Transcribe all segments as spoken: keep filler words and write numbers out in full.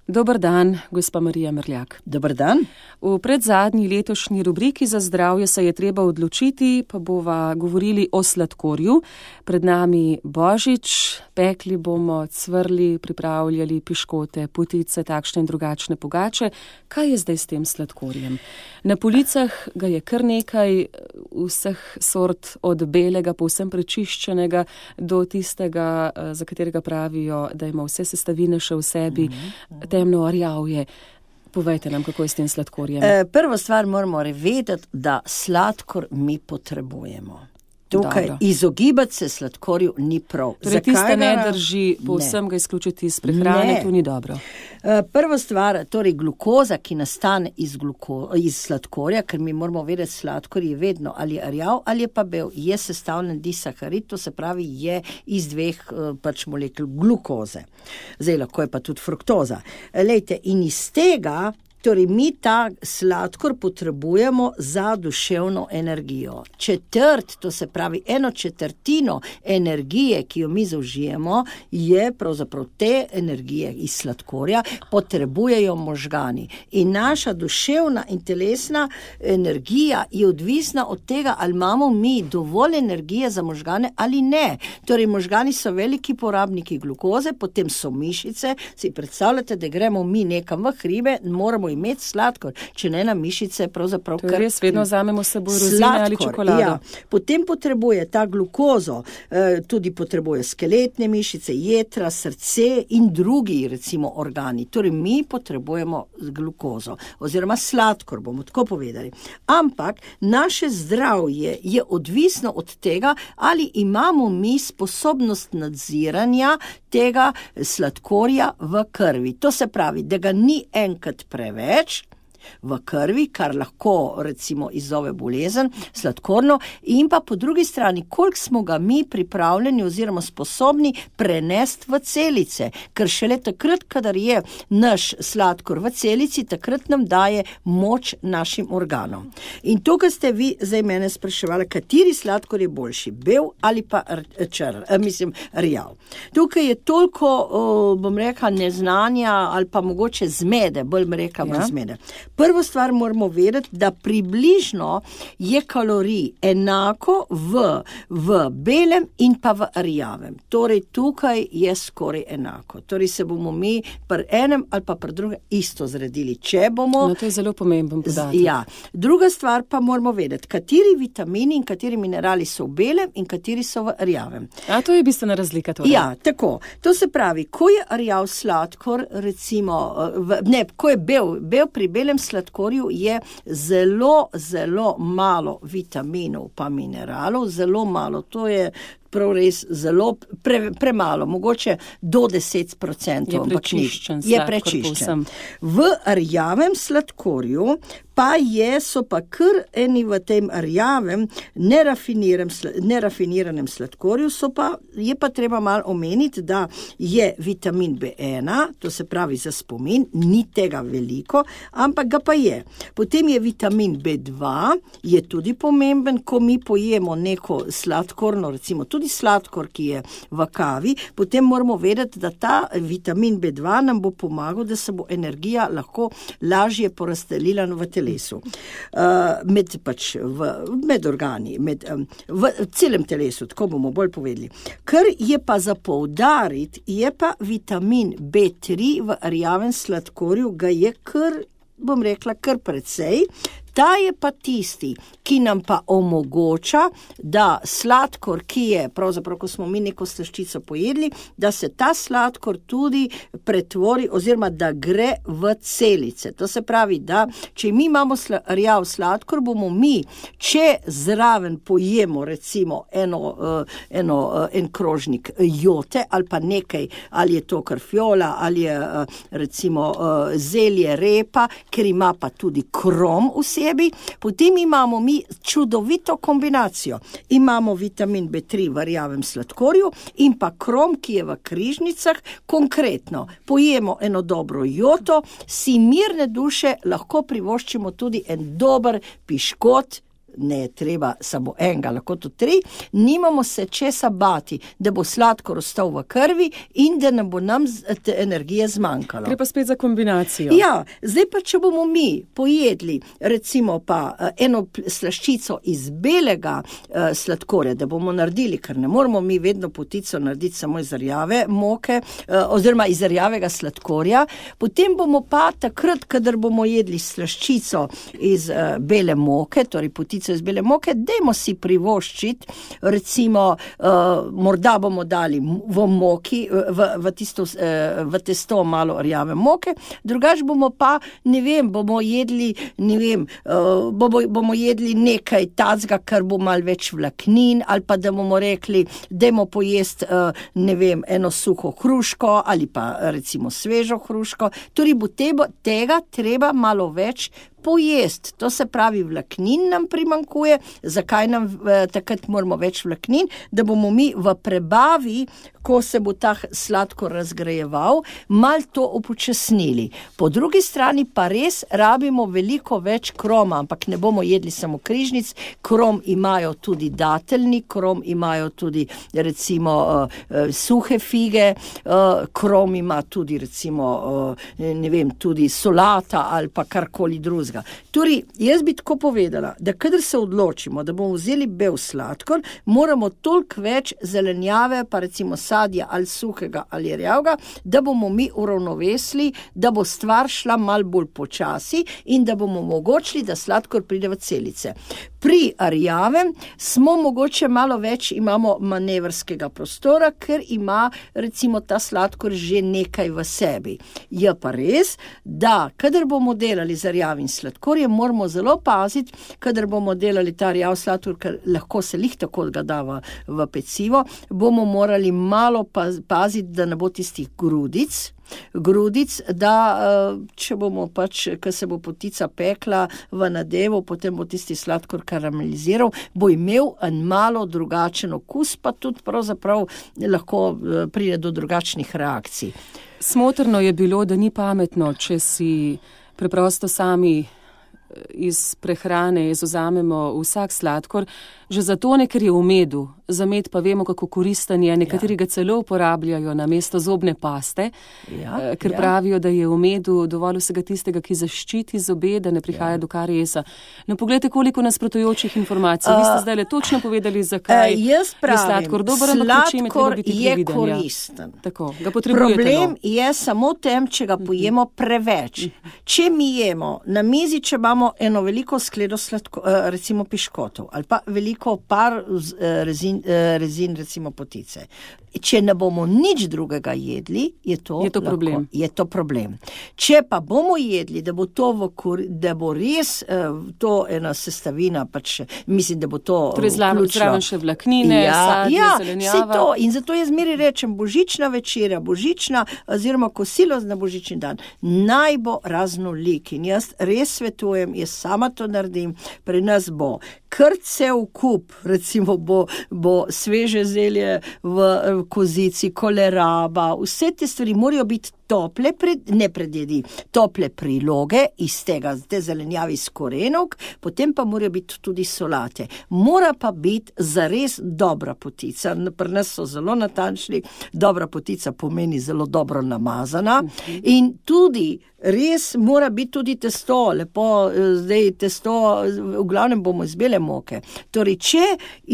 Dober dan, gospa Marija Mrljak. Dober dan. V predzadnji letošnji rubriki za zdravje se je treba odločiti, pa bova govorili o sladkorju. Pred nami Božič, pekli bomo, cvrli, pripravljali piškote, potice, takšne in drugačne pogače. Kaj je zdaj s tem sladkorjem? Na policah ga je kar nekaj vseh sort, od belega, povsem prečiščenega, do tistega, za katerega pravijo, da ima vse sestavine še v sebi, mm-hmm. temno rjavje. Povejte nam, kako je s tem sladkorjem. E, prvo stvar moramo vedeti, da sladkor mi potrebujemo. Tukaj Dobro. Izogibati se sladkorju ni prav. Torej tiste ne drži, povsem ne. Ga izključiti iz prehrane, ne. To ni dobro. Prva stvar, torej glukoza, ki nastane iz, gluko, iz sladkorja, ker mi moramo vedeti, sladkor je vedno ali rjav ali je pa bel, je sestavljen disaharid, to se pravi je iz dveh pač molekul glukoze. Zdaj lahko je pa tudi fruktoza. Lejte, in iz tega Torej, mi ta sladkor potrebujemo za duševno energijo. Četrt, to se pravi eno četrtino energije, ki jo mi zaužijemo, je pravzaprav te energije iz sladkorja, potrebujejo možgani. In naša duševna in telesna energija je odvisna od tega, ali imamo mi dovolj energije za možgane ali ne. Torej, možgani so veliki porabniki glukoze, potem so mišice. Si predstavljate, da gremo mi nekam v hribe, moramo imeti sladkor, če ne na mišice, pravzaprav kar... To je res, vedno vzamemo s seboj rozine ali čokolado. Ja. Potem potrebuje ta glukozo, eh, tudi potrebuje skeletne mišice, jetra, srce in drugi, recimo, organi. Torej, mi potrebujemo glukozo, oziroma sladkor, bomo tako povedali. Ampak naše zdravje je odvisno od tega, ali imamo mi sposobnost nadziranja tega sladkorja v krvi. To se pravi, da ga ni enkrat preveč v krvi, kar lahko recimo izzove bolezen, sladkorno, in pa po drugi strani, koliko smo ga mi pripravljeni oziroma sposobni prenesti v celice, ker šele takrat, kadar je naš sladkor v celici, takrat nam daje moč našim organom. In tukaj ste vi zdaj mene spraševali, kateri sladkor je boljši, bel ali pa čr, mislim, rjav. Tukaj je toliko, bom rekla, neznanja ali pa mogoče zmede, bolj me rekla, ja. zmede. Prvo stvar moramo vedeti, da približno je kalorij enako v, v belem in pa v rjavem. Torej, tukaj je skoraj enako. Torej, se bomo mi pri enem ali pa pri drugem isto zredili. Če bomo... No, to je zelo pomemben podatek. Ja. Druga stvar pa moramo vedeti, kateri vitamini in kateri minerali so v belem in kateri so v rjavem. A to je bistvena razlika torej? Ja, tako. To se pravi, ko je rjav sladkor, recimo, v, ne, ko je bel, bel pri belem sladkorju je zelo, zelo malo vitaminov pa mineralov, zelo malo, to je prav res zelo pre, premalo, mogoče do deset procentov. Je prečiščen. Je prečiščen. V rjavem sladkorju pa je, so pa kar eni v tem rjavem nerafiniranem, nerafiniranem sladkorju, so pa, je pa treba malo omeniti, da je vitamin B ena, to se pravi za spomin, ni tega veliko, ampak ga pa je. Potem je vitamin B dva, je tudi pomemben, ko mi pojemo neko sladkorno, recimo tudi sladkor, ki je v kavi, potem moramo vedeti, da ta vitamin B dva nam bo pomagal, da se bo energija lahko lažje porazdelila v telesu. Uh, med, pač v, med organi, med, um, v celem telesu, tako bomo bolj povedali. Kar je pa za poudariti, je pa vitamin B tri v rjavem sladkorju, ga je kar, bom rekla, kar precej. Ta je pa tisti, ki nam pa omogoča, da sladkor, ki je, pravzaprav, ko smo mi neko slaščico pojedli, da se ta sladkor tudi pretvori oziroma da gre v celice. To se pravi, da če mi imamo sla, rjav sladkor, bomo mi, če zraven pojemo recimo eno, uh, eno, uh, en krožnik jote ali pa nekaj, ali je to karfiola, ali je uh, recimo uh, zelje repa, ker ima pa tudi krom v sebi, potem imamo mi čudovito kombinacijo. Imamo vitamin B tri v rjavem sladkorju in pa krom, ki je v križnicah. Konkretno, pojemo eno dobro joto, si mirne duše lahko privoščimo tudi en dober piškot ne treba samo enega, lahko tudi tri, nimamo se česa bati, da bo sladkor ostal v krvi in da ne bo nam te energije zmanjkalo. Gre pa spet za kombinacijo. Ja, zdaj pa, če bomo mi pojedli recimo pa eno slaščico iz belega uh, sladkorja, da bomo naredili, ker ne moramo mi vedno potico narediti samo iz rjave moke, uh, oziroma iz rjavega sladkorja, potem bomo pa takrat, kadar bomo jedli slaščico iz uh, bele moke, torej potico iz bele moke, dajmo si privoščiti, recimo, uh, morda bomo dali v moki, v, v, tisto, uh, v testo malo rjave moke, drugač bomo pa, ne vem, bomo jedli, ne vem, uh, bomo, bomo jedli nekaj tacga, kar bo malo več vlaknin, ali pa da bomo rekli, dajmo pojesti, uh, ne vem, eno suho hruško, ali pa recimo svežo hruško, torej bo teba, tega treba malo več pojest, to se pravi vlaknin nam primanjkuje, zakaj nam eh, takrat moramo več vlaknin, da bomo mi v prebavi, ko se bo ta sladkor razgrajeval, mal to upočasnili. Po drugi strani pa res rabimo veliko več kroma, ampak ne bomo jedli samo križnic, krom imajo tudi dateljni, krom imajo tudi recimo uh, suhe fige, uh, krom ima tudi recimo, uh, ne vem, tudi solata ali pa karkoli drugega. Torej, jaz bi tako povedala, da kadar se odločimo, da bomo vzeli bel sladkor, moramo toliko več zelenjave, pa recimo sadja ali suhega ali rjavega, da bomo mi uravnovesili, da bo stvar šla malo bolj počasi in da bomo omogočili, da sladkor pride v celice. Pri rjavem smo mogoče malo več, imamo manevrskega prostora, ker ima recimo ta sladkor že nekaj v sebi. Je pa res, da kadar bomo delali z rjavim sladkorjem, moramo zelo paziti, kadar bomo delali ta rjav sladkor, ker lahko se lih tako ga da v, v pecivo, bomo morali malo paziti, da ne bo tistih grudic, grudic, da če bomo pač, ko se bo potica pekla v nadevu, potem bo tisti sladkor karameliziral, bo imel en malo drugačen okus, pa tudi pravzaprav lahko pride do drugačnih reakcij. Smotrno je bilo, da ni pametno, če si preprosto sami iz prehrane izvzamemo vsak sladkor, že zato ne, ker je v medu. Za med pa vemo, kako koristen je, nekateri ga celo uporabljajo na mesto zobne paste, ja, ker ja. pravijo, da je v medu dovolj vsega tistega, ki zaščiti zobe, da ne prihaja ja. do kariesa. No, pogledajte, koliko nasprotujočih informacij. Uh, Vi ste zdaj le točno povedali, zakaj uh, jaz pravim, je sladkor dober, ampak čim je treba biti previden. Sladkor je koristen. Ja. Tako, ga potrebuje Problem telo. je samo tem, če ga pojemo preveč. Če mi jemo na mizi, če imamo eno veliko skledo sladko, recimo piškotov, ali pa veliko par rezin, rezin recimo potice. Če ne bomo nič drugega jedli, je to, je to lahko, problem. Je to problem. Če pa bomo jedli, da bo to v kur, da bo res to ena sestavina, pač mislim, da bo to torej zraven še vlaknine, ja, sadje, ja, zelenjava. To. In zato jaz zmeraj rečem, božična večerja, božična oziroma kosilo na božični dan, naj bo raznolik. In jaz res svetujem, jaz sama to naredim, pri nas bo kar cel kup, recimo bo, bo sveže zelje v kozici, koleraba, vse te stvari morajo biti tople, pred, ne predjedi, tople priloge iz tega, te zelenjavi iz korenovk, potem pa morajo biti tudi solate. Mora pa biti zares dobra potica. Pri nas so zelo natančni, dobra potica pomeni zelo dobro namazana uh-huh. in tudi res mora biti tudi testo, lepo, zdaj testo, v glavnem bomo iz bele moke. Torej, če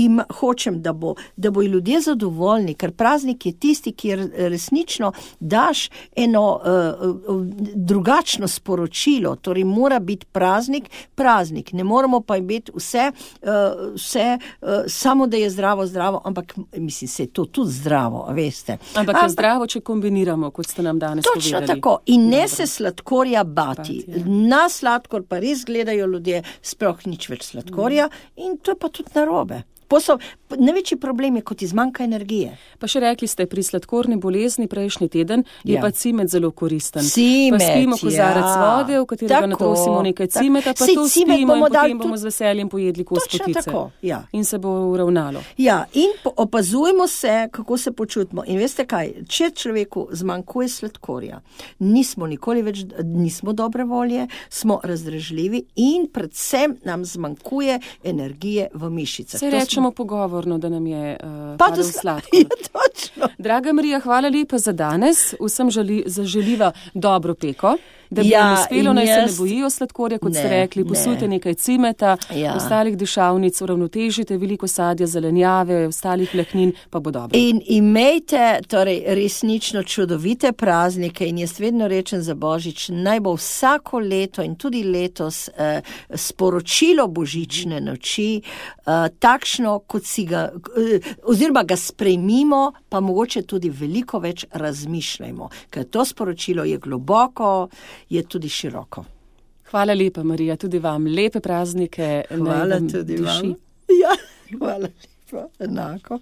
im hočem, da bo, da bo ljudje zadovoljni, ker praznik je tisti, kjer resnično daš eno uh, drugačno sporočilo, torej mora biti praznik, praznik. Ne moramo pa imeti vse, uh, vse uh, samo da je zdravo, zdravo, ampak mislim, se je to tudi zdravo, veste. Ampak je ampak, zdravo, če kombiniramo, kot ste nam danes točno povedali. Točno tako. In ne se sladkorja bati. Bati Na sladkor pa res gledajo ljudje, sploh nič več sladkorja mm. in to je pa tudi narobe. posel, največji problem je, kot izmanjka energije. Pa še rekli ste, pri sladkorni bolezni prejšnji teden je Ja. pa cimet zelo koristen. Cimet, pa spimo kozarec ja. vode, v katerega Tako, natrosimo nekaj tako. cimeta, pa Saj to cimet spimo in bomo dali potem bomo tudi- z veseljem pojedli kos Točno potice. tako, ja. In se bo uravnalo. Ja, in po, opazujmo se, kako se počutimo. In veste kaj, če človeku zmanjkuje sladkorja, nismo nikoli več, nismo dobre volje, smo razdražljivi in predvsem nam zmanjkuje energije v mišicah. Se To rečemo pogovorno, da nam je uh, Pa padel to sla- sladkor. Ja, točno. Draga Marija, hvala lepa za danes. Vsem želi, zaželiva dobro peko, da bi Ja, jim uspelo, in naj se ne jaz- bojijo sladkorja, kot ste Ne, rekli, ne. posujte nekaj cimeta, Ja. ostalih dišavnic, uravnotežite veliko sadja, zelenjave, ostalih vlaknin, pa bo dobro. In imejte torej resnično čudovite praznike in jaz vedno rečem za Božič, naj bo vsako leto in tudi letos eh, sporočilo božične noči eh, takšno, kot si ga, eh, oziroma ga sprejmimo, pa mogoče tudi veliko več razmišljajmo, ker to sporočilo je globoko, je tudi široko. Hvala lepa, Marija, tudi vam. Lepe praznike. naj Hvala vam tudi diši. vam. Ja, hvala lepa, enako.